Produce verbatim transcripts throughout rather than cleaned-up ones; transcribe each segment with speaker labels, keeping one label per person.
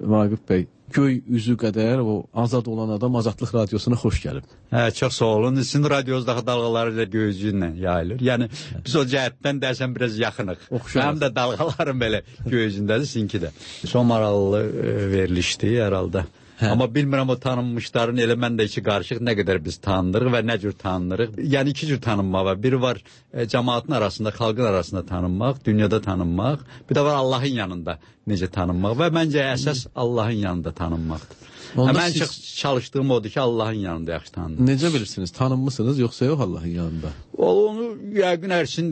Speaker 1: Vaqif bəy, göy üzü qədər o azad olan adam Azadlıq Radiosuna xoş gəlib.
Speaker 2: Hə, çox sağ olun. Sizin radiozdakı dalğaları ilə göy üzü ilə yayılır. Yəni biz o cəhətdən dəsən biraz yaxınıq. Həm də dalğalarım belə göy üzündədir, sizinki də. Son maraqlı e, verilişdi herhalde. Hə. Amma bilmirəm o tanınmışların elə mən də iki qarışıq nə qədər biz tanınırıq və nə cür tanınırıq. Yəni iki cür tanınma var. Biri var e, cəmaatın arasında, xalqın arasında tanınmaq, dünyada tanınmaq. Bir də var Allahın yanında necə tanınmaq və məncə əsas Allahın yanında tanınmaqdır. Mən siz... çox çalışdığım odur ki, Allahın yanında yaxşı tanınır.
Speaker 1: Necə bilirsiniz? Tanınmısınız yoxsa yox Allahın yanında?
Speaker 2: Onu yəqin ərsin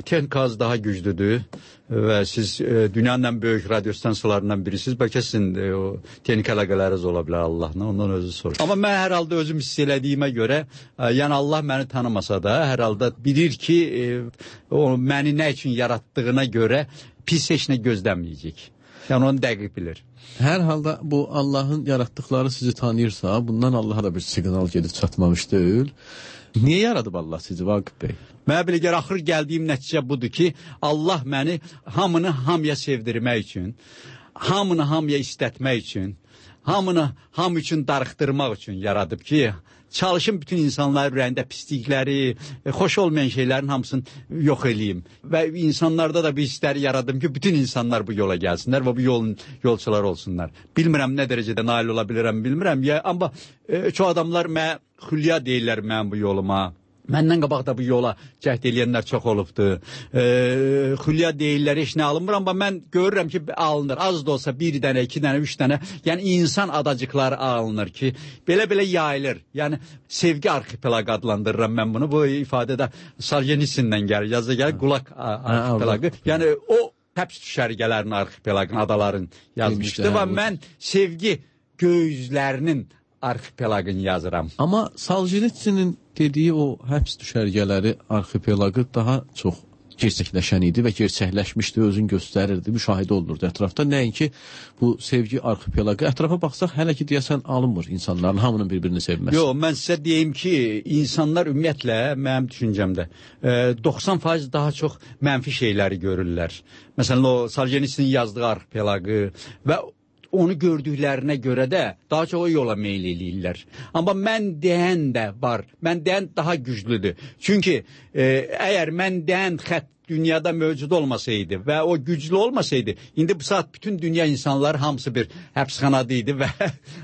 Speaker 2: texnikası daha güclüdür və siz e, dünyanın ən böyük radyo stansiyalarından birisiniz. Bəlkə sizin e, o texnik əlaqələriniz ola bilər Allahla, ondan özü soruş. Amma mən hər halda özüm hiss elədiyimə görə, e, yəni Allah məni tanımasa da, hər halda bilir ki, e, o məni nə üçün yaratdığına görə pis heç nə gözləməyəcək. Yəni onu dəqiq bilir.
Speaker 1: Hər halda bu Allahın yaratdıkları sizi tanıyırsa, bundan Allah'a da bir siqnal gedib çatmamış deyil. Niyə yaradıb Allah sizi Vaqif bəy?
Speaker 2: Mənə belə gəlir, axır gəldiyim nəticə budur ki, Allah məni hamını hamıya sevdirmək üçün, hamını hamıya istətmək üçün, hamını hamı üçün darıxdırmaq üçün yaradıb ki, çalışın bütün insanların ürəyində pislikləri, xoş olmayan şeylərin hamısını yox eləyim. Və insanlarda da bir hissləri yaradım ki, bütün insanlar bu yola gəlsinlər və bu yolun yolçular olsunlar. Bilmirəm nə dərəcədə nail ola bilirəm, bilmirəm. Ya, amma e, çoğu adamlar mənə xülya deyirlər mən bu yoluma. Məndən qabaq da bu yola cəhd eləyənlər çox olubdur. E, xülya deyirlər, heç nə alınmır, amma mən görürəm ki, alınır. Az da olsa bir dənə, iki dənə, üç dənə. Yəni insan adacıqları alınır ki, belə-belə yayılır. Yəni sevgi arxipelaq adlandırıram mən bunu. Bu ifadədə Soljenitsyndən gəlir, yazda gəlir, Qulaq arxipelaqı. Yəni o həbs düşərgələrinin arxipelaqın, adaların yazmışdı və mən sevgi gözlərinin arxipelaqını yazıram.
Speaker 1: Amma Soljenitsynin dediyi o həbs düşərgələri arxipelaqı daha çox gerçəkləşən idi və gerçəkləşmişdi, özün göstərirdi, müşahidə olunurdu ətrafda. Nəinki bu sevgi arxipelaqı. Ətrafa baxsaq hələ ki deyəsən alınmır insanların hamının bir-birini sevməsi.
Speaker 2: Yox, mən sizə deyim ki, insanlar ümumiyyətlə mənim düşüncəmdə doxsan faiz daha çox mənfi şeyləri görürlər. Məsələn, o Soljenitsynin yazdığı arxipelaqı və onu gördüklərinə görə də daha çox o yola meyl eləyirlər. Amma mən deyən də var. Mən deyən daha güclüdür. Çünki e, əgər mən deyən xətt dünyada mövcud olmasaydı və o güclü olmasaydı, indi bu saat bütün dünya insanları hamısı bir həbsxanada idi və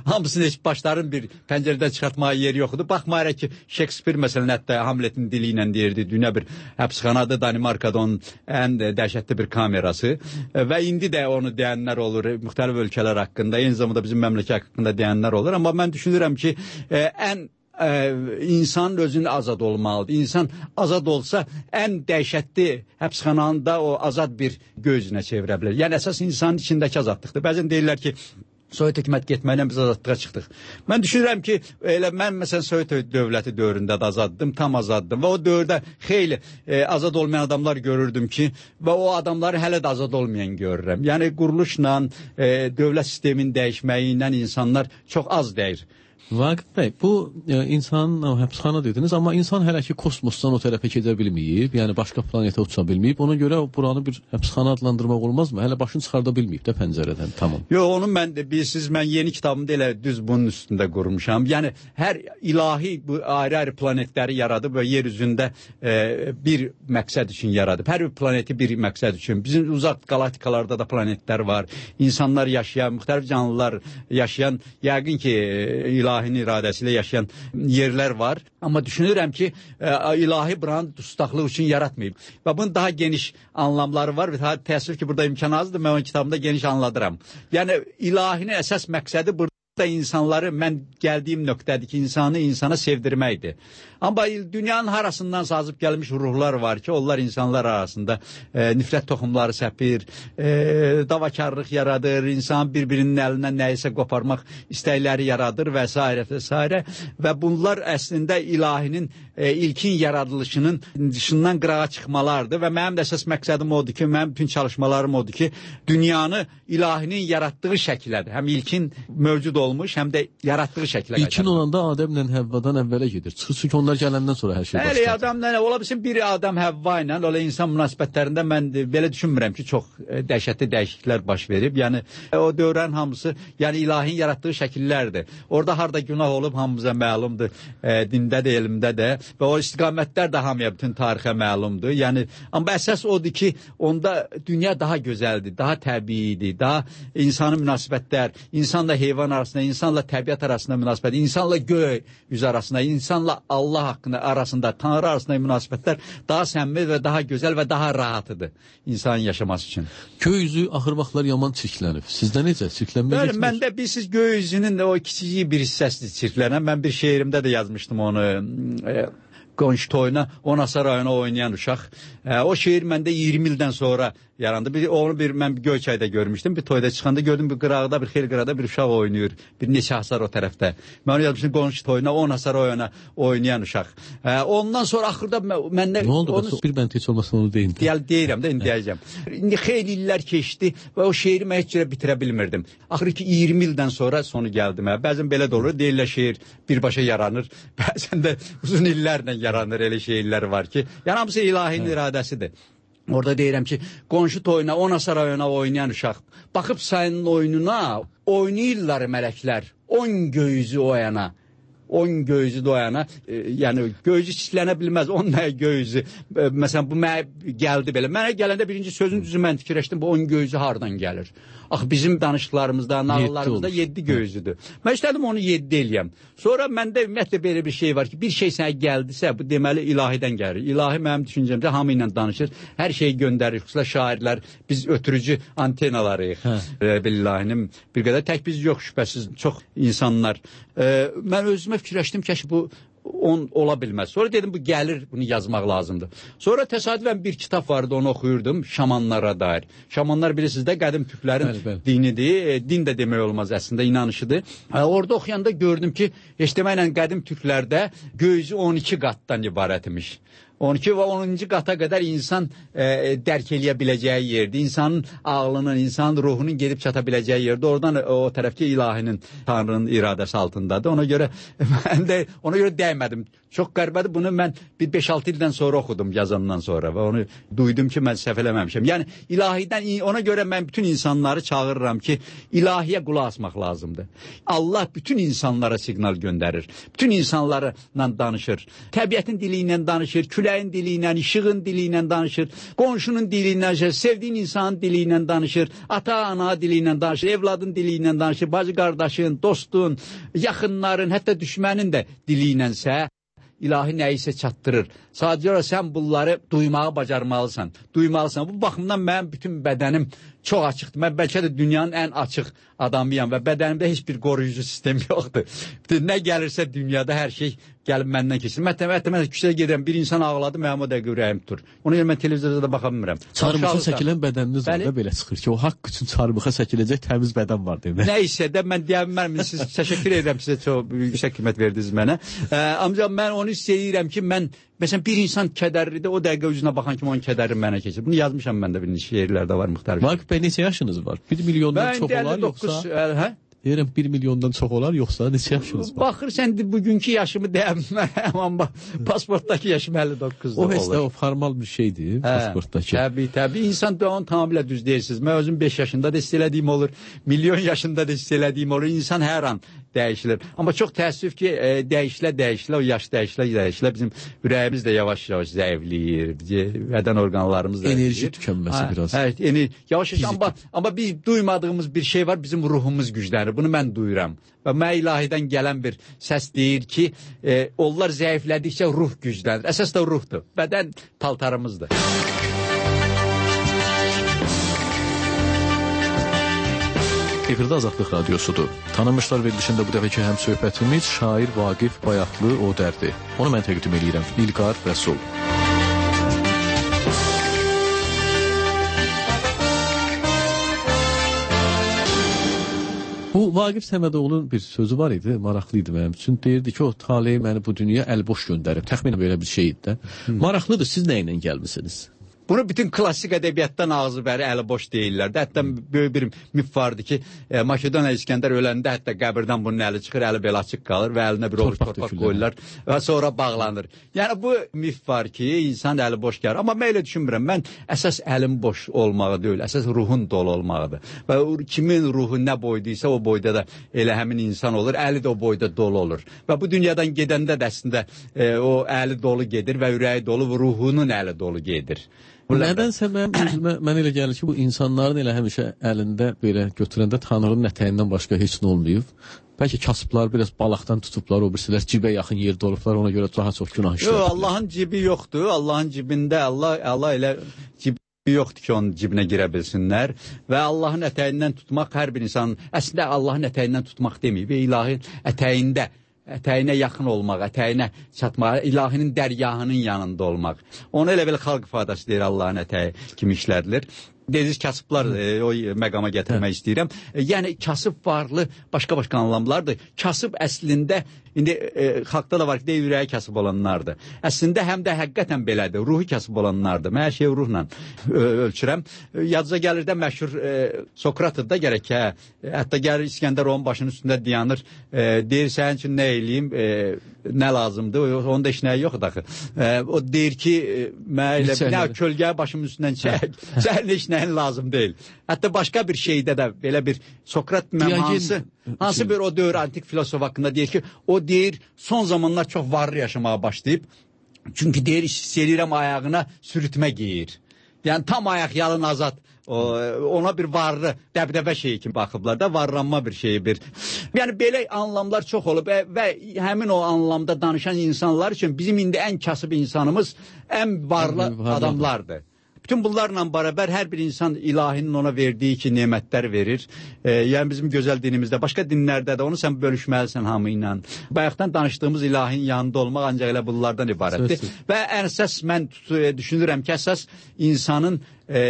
Speaker 2: hamısını heç başların bir pəncərədən çıxartmağa yeri yoxdur. Baxmayaraq ki, Shakespeare məsələn hətta Hamletin dili ilə deyirdi, dünya bir həbsxanada, Danimarkada onun ən dəhşətli bir kamerası və indi də onu deyənlər olur, müxtəlif ölkələr haqqında, eyni zamanda bizim məmləkət haqqında deyənlər olur. Amma mən düşünürəm ki, e, ən Ee, insan özünü azad olmalıdır. İnsan azad olsa ən dəhşətli həbsxananda o azad bir gözünə çevirə bilər. Yəni əsas insanın içindəki azadlıqdır. Bəzən deyirlər ki, Sovet hökumət getməklə biz azadlığa çıxdıq. Mən düşünürəm ki, elə mən məsələn Sovet dövləti dövründə də azaddım, tam azaddım və o dövrdə xeyli e, azad olmayan adamlar görürdüm ki, və o adamları hələ də azad olmayan görürəm. Yəni quruluşla, e, dövlət sisteminin dəyişməyi ilə insanlar çox az dəyir.
Speaker 1: Vaqif bəy, bu e, insanın o, həbsxana dediniz, amma insan hələ ki kosmosdan o tərəfə gedə bilməyib, yəni başqa planetə uça bilməyib. Ona görə buranı bir həbsxana adlandırmaq olmazmı? Hələ başını çıxarda bilməyib də pəncərədən, tamam.
Speaker 2: Yox, onu mən də bilirsiniz, mən yeni kitabımda elə düz bunun üstündə qurmuşam. Yəni hər ilahi bu ayrı-ayrı planetləri yaradıb və yer üzündə e, bir məqsəd üçün yaradıb. Hər bir planeti bir məqsəd üçün. Bizim uzaq galaktikalarda da planetlər var. İnsanlar yaşayan, müxtəlif canlılar yaşayan, yəqin ki ilahi ilahinin iradəsilə yaşayan yerlər var. Amma düşünürəm ki, ilahi buranı dustaqlıq üçün yaratmayıb. Və bunun daha geniş anlamları var. Və təəssüf ki, burada imkan azdır. Mən o kitabımda geniş anladıram. Yəni, ilahinin əsas məqsədi burada da insanları, mən gəldiyim nöqtədir ki, insanı insana sevdirməkdir. Amma dünyanın harasından sazıb gəlmiş ruhlar var ki, onlar insanlar arasında e, nifrət toxumları səpir, e, davakarlıq yaradır, insan bir-birinin əlindən nəyisə qoparmaq istəkləri yaradır və s. və s. Və bunlar əslində ilahinin e, ilkin yaradılışının dışından qırağa çıxmalardır və mənim də əsas məqsədim odur ki, mənim bütün çalışmalarım odur ki, dünyanı ilahinin yaratdığı şəklədir. Həm ilkin mövcud olmuş, həm də yaratdığı şəklə qaytarır.
Speaker 1: İlkin olanda Adəmlə Həvvadan əvvələ gedir. Çıxır çünki onlar gələndən sonra hər şey başlar.
Speaker 2: Bəli, Adəmlə ola bilsin bir Adəm Həvva ilə, ola insan münasibətlərində mən belə düşünmürəm ki, çox dəhşətli dəyişikliklər baş verib. Yəni o dövrlərin hamısı, yəni ilahin yaratdığı şəkillərdir. Orada harda günah olub hamımıza məlumdur. E, dində də, elmdə də və o istiqamətlər də hamıya bütün tarixə məlumdur. Yəni amma əsas odur ki, onda dünya daha gözəldir, daha təbiidir, daha insani münasibətlər, insanla heyvan arasında, insanla təbiət arasında münasibət, insanla göy yüz arasında, insanla Allah haqqında arasında, Tanrı arasında münasibətlər daha səmimi və daha gözəl və daha rahatıdır insanın yaşaması üçün.
Speaker 1: Göy üzü axır vaxtlar yaman çirklənib. Sizdə necə? Çirklənmə getmir?
Speaker 2: Məndə bilsiz göy üzünün o kiçik bir hissəsidir çirklənən. Mən bir şeirimdə də yazmışdım onu. E, Qonşu toyuna Onasa rayonu oynayan uşaq. E, o şeir məndə iyirmi ildən sonra yarandı. Bir, onu bir, mən bir Göyçayda görmüşdüm. Bir toyda çıxanda gördüm bir qırağda, bir xeyli qırağda bir uşaq oynayır. Bir neçə hasar o tərəfdə. Mən onu yazmışdım qonşu toyuna Onasa rayonu oynayan uşaq. E, ondan sonra axırda məndə...
Speaker 1: Nə oldu?
Speaker 2: Onu,
Speaker 1: bir bənd heç olmasın onu deyin.
Speaker 2: Deyəl, deyirəm də, indi deyəcəm. İndi xeyli illər keçdi və o şeiri mən heç cürə bitirə bilmirdim. Axır ki iyirmi ildən sonra sonu gəldi mənə. Bəzən belə də olur. Deyirlər şeir birbaşa yaranır. Bəzən də uzun illərlə yaranır, elə şeirlər var ki. Yəni hamısı ilahinin evet. iradəsidir. Orada deyirəm ki, qonşu toyuna, Onasa rayona oynayan uşaq. Baxıb sayının oyununa oynayırlar mələklər. On göyüzü o yana. On göyüzü doyana, e, yəni göyüzü çitlənə bilməz, on nə göyüzü. E, məsələn, bu mənə gəldi belə. Mənə gələndə birinci sözün düzü mən fikirləşdim, bu on göyüzü hardan gəlir? Axı bizim danışıqlarımızda, nağıllarımızda yeddi göyüzüdür. Mən istədim onu yeddi eləyəm. Sonra məndə ümumiyyətlə belə bir şey var ki, bir şey sənə gəldisə, bu deməli ilahidən gəlir. İlahi mənim düşüncəmdə hamı ilə danışır, hər şeyi göndərir. Xüsusilə şairlər, biz ötürücü antenalarıyıq. E, ilahinin bir qədər tək biz yox şübhəsiz, çox insanlar. E, mən özümə fikirləşdim ki, bu on ola bilməz. Sonra dedim bu gəlir, bunu yazmaq lazımdır. Sonra təsadüfən bir kitab vardı, onu oxuyurdum, şamanlara dair. Şamanlar bilirsiniz də qədim türklərin bəli, bəli. dinidir. E, din də demək olmaz əslində, inanışıdır. E, orada oxuyanda gördüm ki, heç deməklə qədim türklərdə göyüzü on iki qatdan ibarət imiş. on iki və onuncu qata qədər insan e, dərk eləyə biləcəyi yerdir. İnsanın ağlının, insanın ruhunun gedib çata biləcəyi yerdir. Oradan o tərəfki ilahinin, Tanrının iradəsi altındadır. Ona görə mən də ona görə dəymədim. Çox qəribədir. Bunu mən bir beş altı ildən sonra oxudum yazandan sonra və onu duydum ki, mən səhv eləməmişəm. Yəni ilahidən ona görə mən bütün insanları çağırıram ki, ilahiyə qulaq asmaq lazımdır. Allah bütün insanlara siqnal göndərir. Bütün insanlarla danışır. Təbiətin dili ilə danışır, küləyin dili ilə, işığın dili ilə danışır, qonşunun dili ilə danışır, sevdiyin insanın dili ilə danışır, ata-ana dili ilə danışır, evladın dili ilə danışır, bacı qardaşın, dostun, yaxınların, hətta düşmənin də dili ilənsə ilahi nəyisə çatdırır. Sadəcə olaraq sən bunları duymağı bacarmalısan, duymalısan. Bu baxımdan mənim bütün bədənim çox açıqdır. Mən bəlkə də dünyanın ən açıq adamıyam və bədənimdə heç bir qoruyucu sistem yoxdur. Nə gəlirsə dünyada hər şey gəlib məndən keçir. Mətəmətə mən küçəyə gedirəm, bir insan ağladı, mənim o dəqiqə ürəyim tutur. Ona görə mən televizorda da baxa bilmirəm.
Speaker 1: Çarmıxa çəkilən bədəniniz var da belə çıxır ki, o haqq üçün çarmıxa çəkiləcək təmiz bədən var demək.
Speaker 2: Nə isə də mən deyə bilmərəm. Siz təşəkkür edirəm, sizə çox yüksək qiymət verdiniz mənə. Ancaq mən onu istəyirəm ki, mən məsələn bir insan kədərlidir, o dəqiqə üzünə baxan kimi onun kədəri mənə keçir. Bunu yazmışam məndə, bir şeirlərdə var müxtəlif.
Speaker 1: Vaqif bəy, neçə yaşınız var? bir milyondan çox olar yoxsa?
Speaker 2: Hə?
Speaker 1: Deyirəm bir milyondan çox olar yoxsa neçə yaşınız var?
Speaker 2: Baxırsan bugünkü yaşımı deyəməm, amma pasportdakı yaşım əlli doqquzda olur.
Speaker 1: O həsdə o formal bir şeydir, hə, pasportdakı.
Speaker 2: Təbii, təbii. İnsan da onu tamamilə düz deyirsiniz. Mən özüm beş yaşında da hiss elədiyim olur, milyon yaşında da hiss elədiyim olur. İnsan hər an dəyişilir. Amma çox təəssüf ki, e, dəyişilə dəyişilə, o yaş dəyişilə dəyişilə bizim ürəyimiz də yavaş-yavaş zəifləyir, bədən orqanlarımız da
Speaker 1: enerji tükənməsi biraz.
Speaker 2: Hə, yəni yavaş-yavaş amma amma biz duymadığımız bir şey var, bizim ruhumuz güclənir. Bunu mən duyuram. Və mən ilahidən gələn bir səs deyir ki, e, onlar zəiflədikcə ruh güclənir. Əsas da ruhdur. Bədən paltarımızdır.
Speaker 1: Efirdə Azadlıq Radiosudur. Tanınmışlar verilişində bu dəfəki həm söhbətimiz şair Vaqif Bayatlı o dərdi. Onu mən təqdim edirəm. İlqar Rəsul. Bu Vaqif Səmədoğlu'nun bir sözü var idi, maraqlıydı mənim üçün. Deyirdi ki, o taleyi məni bu dünya əlboş göndərib. Təxminən belə bir şey idi də. Maraqlıdır, siz nə ilə gəlmisiniz?
Speaker 2: Bunu bütün klassik ədəbiyyatdan ağzı bəri əli boş deyirlər. Hətta böyük bir mif vardı ki, e, Makedoniya İskəndər öləndə hətta qəbirdən bunun əli çıxır, əli belə açıq qalır və əlinə bir ovuc torpaq qoyurlar və sonra bağlanır. Yəni bu mif var ki, insan əli boş gəlir. Amma mən elə düşünmürəm. Mən əsas əlin boş olmağı deyil, əsas ruhun dolu olmağıdır. Və kimin ruhu nə boyduysa o boyda da elə həmin insan olur, əli də o boyda dolu olur. Və bu dünyadan gedəndə də əslində e, o əli dolu gedir və ürəyi dolu və ruhunun əli dolu gedir.
Speaker 1: Nədənsə mən, özümə, mən elə gəlir ki, bu insanların elə həmişə əlində belə götürəndə Tanrının ətəyindən başqa heç nə olmayıb. Bəlkə kasıblar biraz balaqdan tutublar, o birisilər cibə yaxın yerdə olublar, ona görə daha çox günah işləyirlər.
Speaker 2: Yox, Allahın cibi yoxdur. Allahın cibində Allah, Allah elə cibi yoxdur ki, onun cibinə girə bilsinlər. Və Allahın ətəyindən tutmaq hər bir insanın, əslində Allahın ətəyindən tutmaq deməyib, ilahin ətəyində. Ətəyinə yaxın olmaq, ətəyinə çatmaq, ilahinin dərgahının yanında olmaq. Onu elə belə xalq ifadəsi deyir, Allahın ətəyi kimi işlədilir. Dediniz kasıblar e, o məqama gətirmək istəyirəm. E, yəni kasıb varlı başqa-başqa anlamlardır. Kasıb əslində indi e, xalqda da var ki, deyir, ürəyi kasıb olanlardır. Əslində həm də həqiqətən belədir. Ruhu kasıb olanlardır. Mən hər şeyi ruhla ö, ölçürəm. E, Yadınıza gəlir də məşhur e, Sokratı da gərək hə. Hətta gəlir İskəndər onun başının üstündə dayanır. E, deyir, sənin üçün nə eləyim, e, nə lazımdır? Onun da işnəyi yoxdur axı. E, o deyir ki, e, mən elə nə kölgəyə başımın üstündən çək. Sənin işnəyin lazım deyil. Hətta başqa bir şeydə də belə bir Sokrat hansı, hansı bir o dövr antik filosof haqqında deyir ki, o deyir son zamanlar çox varlı yaşamaya başlayıb. Çünki deyir, hiss edirəm ayağına sürütmə giyir. Yəni tam ayaq yalın azad. O, ona bir varlı, dəbdəbə şeyi kimi baxıblar da, varlanma bir şeyi bir. Yəni belə anlamlar çox olub və, və həmin o anlamda danışan insanlar üçün bizim indi ən kasıb insanımız ən varlı adamlardır. Bütün bunlarla bərabər hər bir insan ilahinin ona verdiyi ki, nemətlər verir. E, yəni bizim gözəl dinimizdə, başqa dinlərdə də onu sən bölüşməlisən hamı ilə. Bayaqdan danışdığımız ilahin yanında olmaq ancaq elə bunlardan ibarətdir. Söz. Və ən əsas mən düşünürəm ki, əsas insanın e,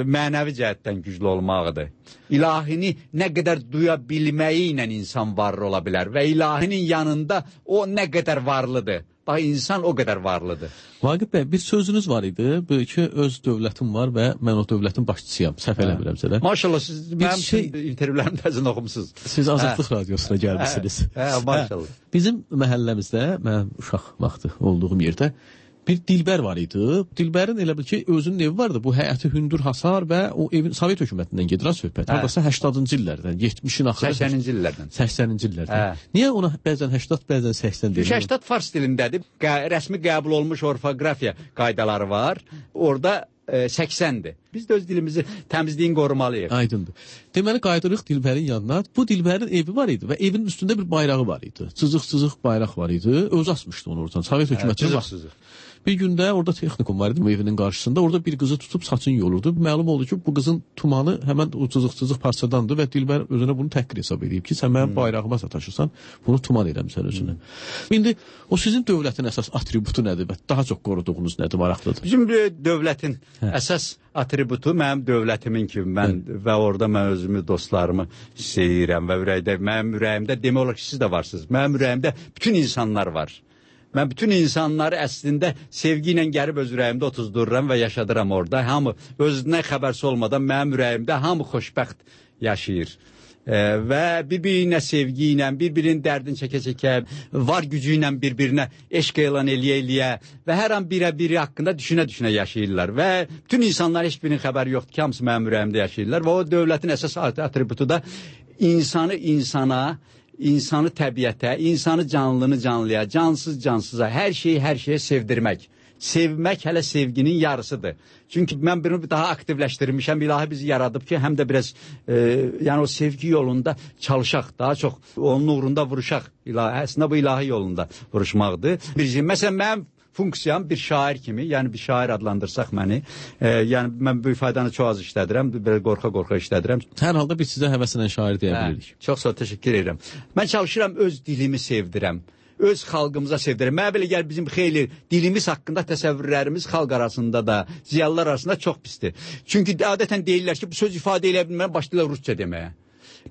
Speaker 2: mənəvi cəhətdən güclü olmağıdır. İlahini nə qədər duya bilməyi ilə insan varlı ola bilər və ilahinin yanında o nə qədər varlıdır. Bax, insan o qədər varlıdır.
Speaker 1: Vaqif bəy, bir sözünüz var idi, böyle ki, öz dövlətim var və mən o dövlətin başçısıyam, səhv eləmirəmsə də.
Speaker 2: Maşallah, siz mənim şey... intervyulərim təzən oxumsuz.
Speaker 1: Siz Azadlıq hə. Radiosuna gəlmişsiniz.
Speaker 2: Hə, hə, maşallah.
Speaker 1: Hə. Bizim məhəlləmizdə, mən uşaq vaxtı olduğum yerdə, bir dilbər var idi. Dilbərin elə bil ki, özünün evi vardı. Bu həyəti hündür hasar və o evin Sovet hökumətindən gedirən söhbət. Hə. Hardasa səksəninci illərdən, yetmişin axırı.
Speaker 2: səksəninci illərdən.
Speaker 1: səksəninci illərdən. Hə. Niyə ona bəzən səksən, bəzən səksən deyir?
Speaker 2: səksən fars dilindədir. Qə rəsmi qəbul olmuş orfoqrafiya qaydaları var. Orada e, səksəndir. Biz də öz dilimizi təmizliyin qorumalıyıq.
Speaker 1: Aydındır. Deməli, qayıdırıq Dilbərin yanına. Bu Dilbərin evi var idi və evin üstündə bir bayrağı var idi. Cızıq-cızıq bayraq var idi. Öz asmışdı onu oradan. Sovet hökuməti var. Bir gündə orada texnikum var idi bu evinin qarşısında. Orada bir qızı tutub saçını yolurdu. Məlum oldu ki, bu qızın tumanı həmən o cızıq-cızıq parçadandır və Dilbər özünə bunu təhqir hesab edib ki, sən mənim bayrağıma sataşırsan, bunu tuman eləmsən özünə. Hmm. İndi o sizin dövlətin əsas atributu nədir və daha çox qoruduğunuz nədir, maraqlıdır?
Speaker 2: Bizim dövlətin hə. Əsas atributu mənim dövlətimin kimi, mən hə. Və orada mən özümü, dostlarımı hiss edirəm və ürəkdə, mənim ürəyimdə demək olar ki, siz də varsınız. Mənim ürəyimdə bütün insanlar var. Mən bütün insanları əslində sevgi ilə gəlib öz ürəyimdə otuzdururam və yaşadıram orada. Hamı özünə xəbərsi olmadan mənim ürəyimdə hamı xoşbəxt yaşayır. E, və bir-birinə sevgi ilə, bir-birinin dərdini çəkə-çəkə, var gücü ilə bir-birinə eşq elan eləyə-eləyə və hər an birə-biri haqqında düşünə-düşünə yaşayırlar. Və bütün insanlar heç birinin xəbəri yoxdur ki, hamısı mənim ürəyimdə yaşayırlar. Və o dövlətin əsas atributu da insanı insana, İnsanı təbiətə, insanı canlını canlıya, cansız cansıza, hər şeyi hər şeyə sevdirmək. Sevmək hələ sevginin yarısıdır. Çünki mən bunu daha aktivləşdirmişəm. İlahi bizi yaradıb ki, həm də biraz e, yəni o sevgi yolunda çalışaq, daha çox onun uğrunda vuruşaq. İlahi, əslində bu ilahi yolunda vuruşmaqdır. Bir, məsələn, mənim funksiyam bir şair kimi, yəni bir şair adlandırsaq məni, e, yəni mən bu ifadanı çox az işlədirəm, belə qorxa-qorxa işlədirəm.
Speaker 1: Hər halda biz sizə həvəslə şair deyə bilirik.
Speaker 2: Hə, çox sağ ol, təşəkkür edirəm. Mən çalışıram öz dilimi sevdirəm, öz xalqımıza sevdirəm. Mənə belə gəlir bizim xeyli dilimiz haqqında təsəvvürlərimiz xalq arasında da, ziyalılar arasında çox pisdir. Çünki adətən deyirlər ki, bu söz ifadə eləyə bilmən başlayırlar rusca deməyə.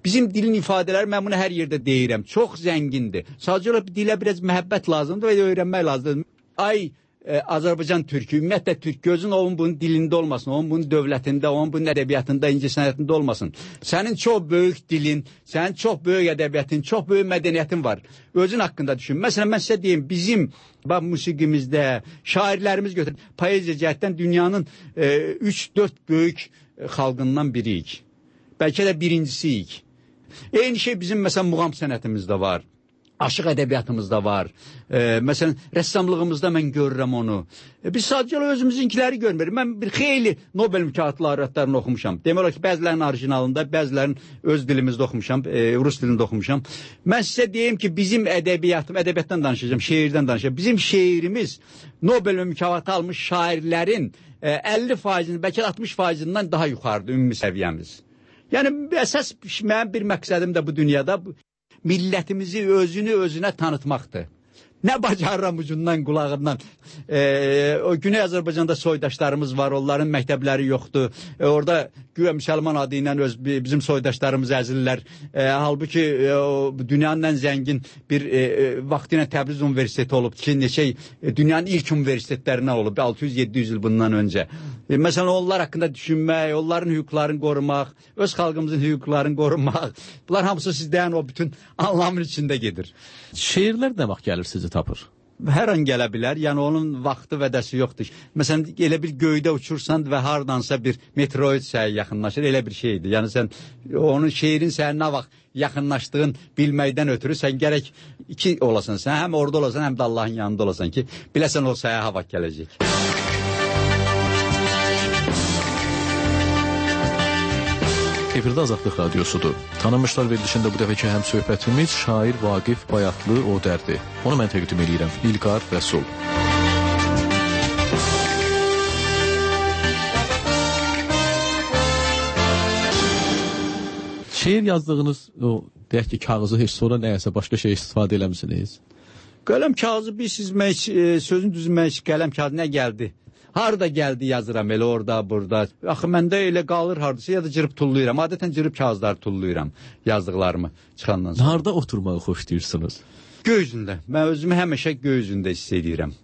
Speaker 2: Bizim dilin ifadələri, mən bunu hər yerdə deyirəm, çox zəngindir. Sadəcə olaraq dilə biraz məhəbbət lazımdır və öyrənmək lazımdır. Ay e, Azərbaycan türkü, ümumiyyətlə türk gözün onun bunun dilində olmasın, onun bunun dövlətində, onun bunun ədəbiyyatında, incəsənətində olmasın. Sənin çox böyük dilin, sənin çox böyük ədəbiyyatın, çox böyük mədəniyyətin var. Özün haqqında düşün. Məsələn, mən sizə deyim, bizim bax, musiqimizdə şairlərimiz götürür. Poeziya cəhətdən dünyanın üç dörd böyük xalqından biriyik. Bəlkə də birincisiyik. Eyni şey bizim məsələn muğam sənətimizdə var. Aşıq ədəbiyyatımızda var. E, məsələn, rəssamlığımızda mən görürəm onu. E, biz sadəcə özümüzünkiləri görmürük. Mən bir xeyli Nobel mükafatlı laureatlarını oxumuşam. Demək olar ki, bəzilərinin orijinalında, bəzilərinin öz dilimizdə oxumuşam, e, rus dilində oxumuşam. Mən sizə deyim ki, bizim ədəbiyyatım, ədəbiyyatdan danışacağım, şeirdən danışacağım. Bizim şeirimiz Nobel mükafatı almış şairlərin e, əlli faizinin, bəlkə altmış faizindən daha yuxarıdır ümumi səviyyəmiz. Yəni, əsas mənim bir məqsədim də bu dünyada millətimizi özünü özünə tanıtmaqdır. Nə bacarıram ucundan, qulağından. E, o Güney Azərbaycanda soydaşlarımız var, onların məktəbləri yoxdur. E, orada güya müsəlman adı ilə öz, bizim soydaşlarımız əzillər. E, halbuki e, o, dünyanın ən zəngin bir e, vaxtı ilə Təbriz Universiteti olub ki, neçə e, dünyanın ilk universitetlərindən olub, altı yüz yeddi yüz il bundan öncə. E, məsələn, onlar haqqında düşünmək, onların hüquqlarını qorumaq, öz xalqımızın hüquqlarını qorumaq, bunlar hamısı sizdən o bütün anlamın içində gedir.
Speaker 1: Şeirlər nə vaxt gəlir sizi tapır?
Speaker 2: Hər an gələ bilər, yəni onun vaxtı vədəsi yoxdur. Məsələn, elə bir göydə uçursan və hardansa bir meteorit sənə yaxınlaşır, elə bir şeydir. Yəni sən onun şeirin sənə nə vaxt yaxınlaşdığın bilməkdən ötürü sən gərək iki olasan, sən həm orada olasan, həm də Allahın yanında olasan ki, biləsən o sənə hava gələcək.
Speaker 1: Efirdə Azadlıq Radiosudur. Tanınmışlar verilişində bu dəfəki həm söhbətimiz şair Vaqif Bayatlı Odərdir. Onu mən təqdim edirəm. İlqar Rəsul. Şeir yazdığınız o deyək ki, kağızı heç sonra nəyəsə başqa şey istifadə eləmisiniz?
Speaker 2: Qələm kağızı bir sizmək, sözün düzmək, qələm kağızı nə gəldi? Harada gəldi yazıram, elə orada, burada. Axı, məndə elə qalır hardasa, ya da cırıb tulluyuram. Adətən cırıb kağızları tulluyuram yazdıqlarımı çıxandan sonra.
Speaker 1: Harada oturmağı xoşlayırsınız?
Speaker 2: Göy üzündə. Mən özümü həmişə göy üzündə hiss edirəm.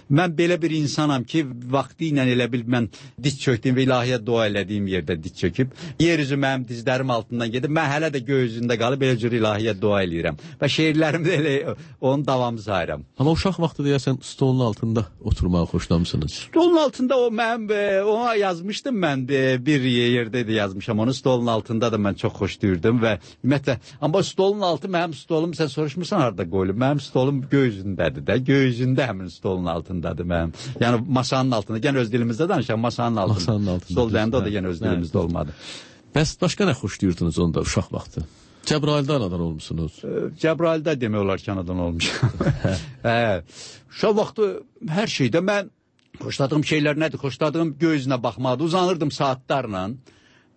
Speaker 2: Mən belə bir insanam ki, vaxtı ilə elə bil mən diz çökdüyüm və ilahiyə dua elədiyim yerdə diz çöküb. Yer üzü mənim dizlərim altından gedib. Mən hələ də göy üzündə qalıb belə cür ilahiyə dua eləyirəm. Və şeirlərimdə elə onun davamı sayıram.
Speaker 1: Amma uşaq vaxtı deyəsən stolun altında oturmağı xoşlamısınız.
Speaker 2: Stolun altında o mən ona yazmışdım mən bir yerdə də yazmışam. Onu stolun altında da mən çox xoşlayırdım və ümumiyyətlə, amma stolun altı mənim stolum, sən soruşmursan harada qoyulub. Mənim stolum göy üzündədir də. Göy üzündə həmin stolun altında. Mənim. Yəni masanın altında, yəni öz dilimizdə danışaq, masanın altında.
Speaker 1: Masanın altında.
Speaker 2: Stol deyəndə o da yəni öz dilimizdə hə, olmadı.
Speaker 1: Bəs başqa nə xoşlayırdınız onda uşaq vaxtı? Cəbraildə anadan olmuşsunuz.
Speaker 2: Cəbraildə demək olar ki, anadan olmuşam. Hə. Uşaq vaxtı hər şeydə mən xoşladığım şeylər nədir? Xoşladığım göy üzünə baxmadı. Uzanırdım saatlarla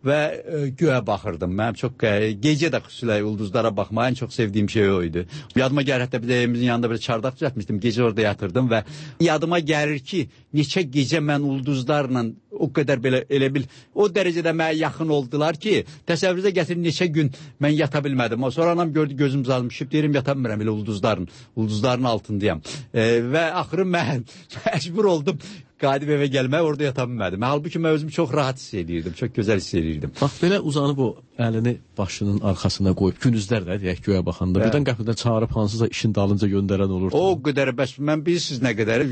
Speaker 2: və e, göyə baxırdım. Mənim çox e, gecə də xüsusilə ulduzlara baxmağı ən çox sevdiyim şey o idi. Yadıma gəlir, hətta bir də evimizin yanında bir çardaq düzəltmişdim. Gecə orada yatırdım və yadıma gəlir ki, neçə gecə mən ulduzlarla o qədər belə elə bil o dərəcədə mənə yaxın oldular ki, təsəvvürünüzə gətirin neçə gün mən yata bilmədim. O sonra anam gördü, gözüm zalmışıb, deyirəm yata bilmirəm elə ulduzların, ulduzların altındayam. E, və axırı mən məcbur oldum qayıdıb evə gəlməyə, orada yata bilmədim. Halbuki mən özümü çox rahat hiss edirdim, çox gözəl hiss edirdim.
Speaker 1: Bax, belə uzanıb o əlini başının arxasına qoyub, gündüzlər də deyək göyə baxanda, hə, birdən qəfildən çağırıb hansısa işin dalınca göndərən olurdu.
Speaker 2: O qədər, bəs mən bilirsiniz nə qədər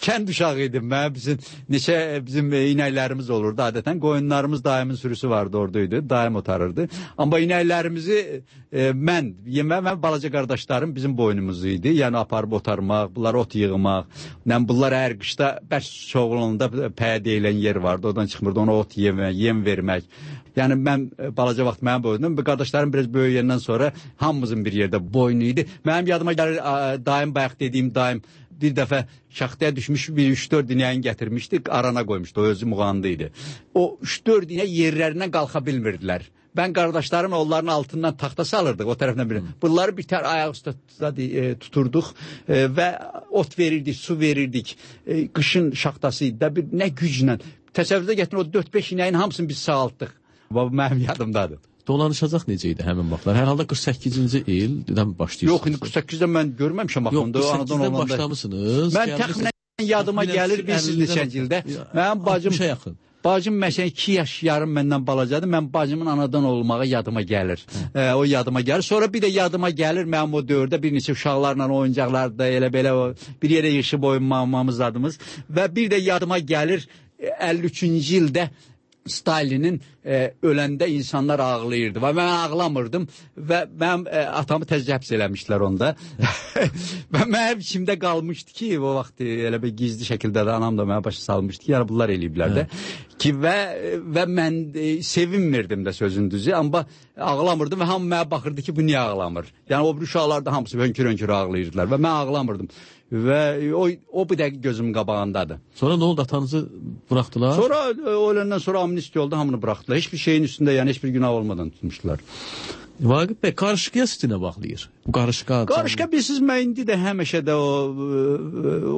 Speaker 2: kənd uşağı idim. Mən bizim neçə bizim inəklərimiz olurdu. Adətən qoyunlarımız daimin sürüsü vardı, oradaydı. Daim otarırdı. Amma inəklərimizi e, mən, yemə və balaca qardaşlarım bizim boynumuz idi. Yəni aparıb otarmaq, bunlar ot yığmaq. Yəni bunlar hər qışda bəs çoğulunda pəyə deyilən yer vardı. Oradan çıxmırdı, ona ot yemək, yem vermək. Yəni mən balaca vaxt mənim boynum, qardaşlarım biraz böyüyəndən sonra hamımızın bir yerdə boynu idi. Mənim yadıma gəlir, daim bayaq dediyim daim bir dəfə şaxtaya düşmüş bir üç dörd inəyin gətirmişdi, arana qoymuşdu, o özü muğandı idi. O üç dörd inək yerlərindən qalxa bilmirdilər. Ben qardaşlarım onların altından taxta salırdıq o tərəfdən biri. Bunları bir tər ayaq üstə tuturduq e, və ot verirdik, su verirdik. E, qışın şaxtası da bir nə güclə. Təsəvvürdə gətirin o dörd beş inəyin hamısını biz sağaltdıq. Bu mənim yadımdadır.
Speaker 1: dolanışacaq necə idi həmin vaxtlar? Hər halda qırx səkkizinci ildən başlayırsınız.
Speaker 2: Yox, indi qırx səkkizdə mən görməmişəm axında.
Speaker 1: Yox, qırx səkkizdə başlamısınız.
Speaker 2: Mən təxminən yadıma gəlir bilirsiniz neçənci ildə. Mənim bacım
Speaker 1: yaxın.
Speaker 2: Bacım məsələn iki yaş yarım məndən balacadır. Mən bacımın anadan olmağı yadıma gəlir. E, o yadıma gəlir. Sonra bir də yadıma gəlir mənim o dövrdə bir neçə uşaqlarla oyuncaqlarda elə belə o, bir yerə yığışıb oyunmamamız adımız və bir də yadıma gəlir əlli üçüncü ildə Stalinin e, öləndə insanlar ağlayırdı və mən ağlamırdım və mənim e, atamı tezcə həbs eləmişlər onda. Və mənim içimdə qalmışdı ki, o vaxt elə bir gizli şəkildə də anam da mənə başa salmışdı ki, yəni bunlar eləyiblər də. Ki və və mən e, sevinmirdim də sözün düzü, amma ağlamırdım və hamı mənə baxırdı ki, bu niyə ağlamır? Yəni o bir uşaqlar da hamısı hönkür-hönkür ağlayırdılar və mən ağlamırdım. Və o, o bir dəqiq gözümün qabağındadır.
Speaker 1: Sonra nə oldu, atanızı buraxdılar?
Speaker 2: Sonra o öləndən sonra amnistiya oldu, hamını buraxdılar. Hiçbir şeyin üstündə, yəni heç bir günah olmadan tutmuşlar.
Speaker 1: Vaqif bəy, qarışqaya sizinə baxlayır. Bu qarışqa...
Speaker 2: Qarışqa bilirsiniz, mən indi də həmişə də o,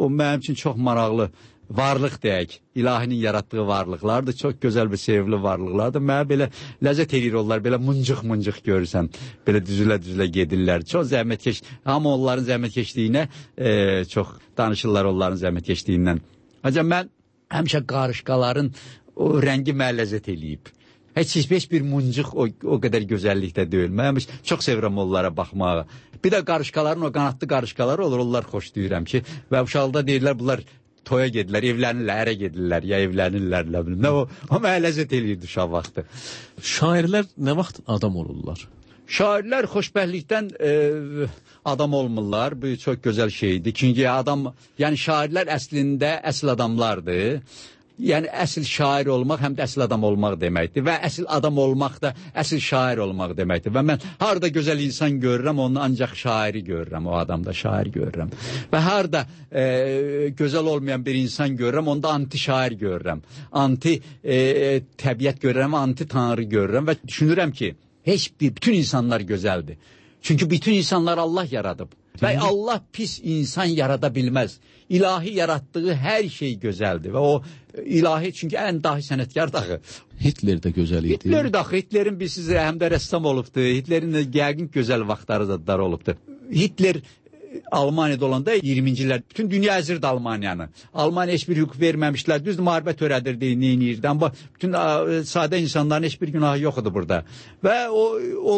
Speaker 2: o mənim üçün çox maraqlı varlıq deyək, ilahinin yaratdığı varlıqlardır, çox gözəl bir sevimli varlıqlardır. Mənə belə ləzzət edir onlar, belə mıncıq-mıncıq görürsən, belə düzülə-düzülə gedirlər. Çox zəhmətkeş, amma onların zəhmətkeşliyinə e, çox danışırlar onların zəhmətkeşliyindən. Ancaq mən həmişə qarışqaların o rəngi mənə ləzzət eləyib. Heç, heç bir mıncıq o, o qədər gözəllikdə deyil. Mən çox sevirəm onlara baxmağı. Bir də qarışqaların o qanatlı qarışqaları olur, onlar xoşlayıram ki, və uşaqda deyirlər bunlar toya gedirlər, evlənirlər, ərə gedirlər, ya evlənirlər, nə bilim. Nə o, o mənə ləzzət eləyirdi uşaq vaxtı.
Speaker 1: Şairlər nə vaxt adam olurlar?
Speaker 2: Şairlər xoşbəxtlikdən e, adam olmurlar. Bu çox gözəl şeydir. Çünki adam, yəni şairlər əslində əsl adamlardır. Yəni əsl şair olmaq həm də əsl adam olmaq deməkdir və əsl adam olmaq da əsl şair olmaq deməkdir və mən harda gözəl insan görürəm, onu ancaq şairi görürəm, o adamda şair görürəm və harda e, gözəl olmayan bir insan görürəm, onda anti şair görürəm, anti e, təbiət görürəm, anti tanrı görürəm və düşünürəm ki, heç bir, bütün insanlar gözəldir. Çünki bütün insanlar Allah yaradıb. Və Allah pis insan yarada bilməz. İlahi yaratdığı hər şey gözəldir və o ilahi, çünki ən dahi sənətkar daxı.
Speaker 1: Hitler də gözəl idi.
Speaker 2: Hitler daxı, Hitlerin bir siz həm də rəssam olubdu. Hitlerin də yəqin gözəl vaxtları da olubdu. Hitler Almaniyada olanda iyirminci illər bütün dünya əzirdi Almaniyanı. Almaniya heç bir hüquq verməmişlər. Düz müharibə törədirdi, neyinirdi. Amma bütün sadə insanların heç bir günahı yox idi burada. Və o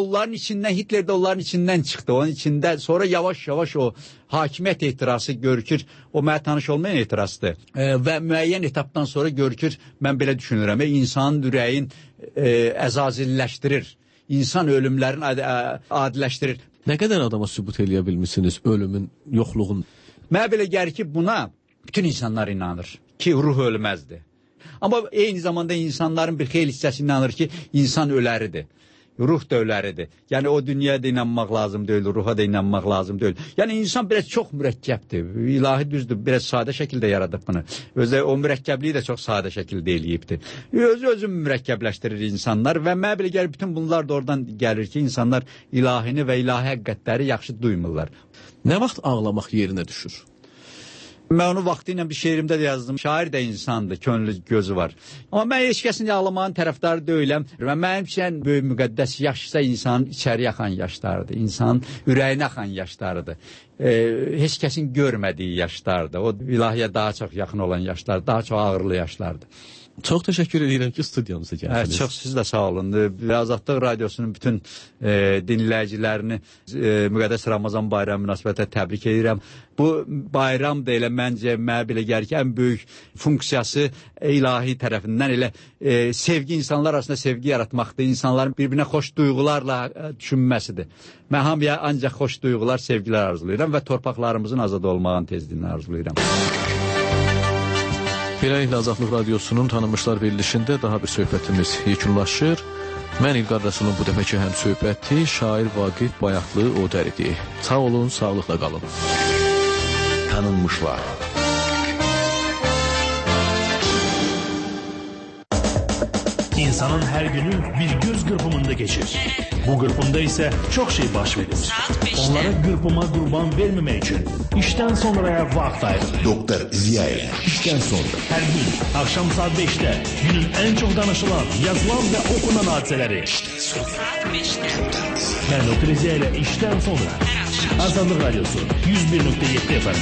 Speaker 2: onların içindən, Hitler də onların içindən çıxdı. Onun içində sonra yavaş-yavaş o hakimiyyət ehtirası görükür. O mənə tanış olmayan ehtirasdır. E, və müəyyən etapdan sonra görükür, mən belə düşünürəm, e, insanın ürəyin e, əzazilləşdirir. İnsan ölümlərini ad adiləşdirir.
Speaker 1: Nə qədər adama sübut eləyə bilmişsiniz ölümün, yoxluğun?
Speaker 2: Mənə belə gəlir ki, buna bütün insanlar inanır ki, ruh ölməzdir. Amma eyni zamanda insanların bir xeyli hissəsi inanır ki, insan öləridir. Ruh da öləridir. Yəni o dünyaya da inanmaq lazım deyil, ruha da inanmaq lazım deyil. Yəni insan biraz çox mürəkkəbdir. İlahi düzdür, biraz sadə şəkildə yaradıb bunu. Özü o mürəkkəbliyi də çox sadə şəkildə eləyibdir. Özü-özünü mürəkkəbləşdirir insanlar və mənə belə gəlir, bütün bunlar da oradan gəlir ki, insanlar ilahini və ilahi həqiqətləri yaxşı duymurlar.
Speaker 1: Nə vaxt ağlamaq yerinə düşür?
Speaker 2: Mən onu vaxtı ilə bir şeirimdə də yazdım. Şair də insandır, könlü gözü var. Amma mən heç kəsin ağlamağın tərəfdarı deyiləm. Və mənim üçün böyük müqəddəs yaşsa insanın içəri axan yaşlarıdır. İnsanın ürəyinə axan yaşlarıdır. E, heç kəsin görmədiyi yaşlardır. O ilahiyə daha çox yaxın olan yaşlar, daha çox ağırlı yaşlardır.
Speaker 1: Çox təşəkkür edirəm ki, studiyamıza gəldiniz.
Speaker 2: Hə, çox siz də sağ olun. Azadlıq Radiosunun bütün e, dinləyicilərini e, müqəddəs Ramazan bayramı münasibətilə təbrik edirəm. Bu bayram da elə məncə mənə belə gəlir ki, ən böyük funksiyası ilahi tərəfindən elə e, sevgi, insanlar arasında sevgi yaratmaqdır. İnsanların bir-birinə xoş duyğularla e, düşünməsidir. Mən hamıya ancaq xoş duyğular, sevgilər arzulayıram və torpaqlarımızın azad olmağın tezliyini arzulayıram.
Speaker 1: Beləliklə Azadlıq Radiosunun tanınmışlar verilişində daha bir söhbətimiz yekunlaşır. Mən İlqar Rəsulun bu dəfəki həm söhbəti şair Vaqif Bayatlı Odər idi. Sağ olun, sağlıqla qalın.
Speaker 3: Tanınmışlar. İnsanın her günü bir göz kırpımında geçir. Bu kırpımda ise çok şey baş verir. Onlara kırpıma kurban vermemek için işten sonraya vakit ayırın.
Speaker 4: Doktor Ziya ile işten sonra.
Speaker 3: Her gün akşam saat beşte günün en çok danışılan, yazılan ve okunan hadiseleri.
Speaker 5: Saat beşte.
Speaker 3: Ben Doktor Ziya ile işten sonra. Azadlık Radyosu yüz bir nokta yedi F M.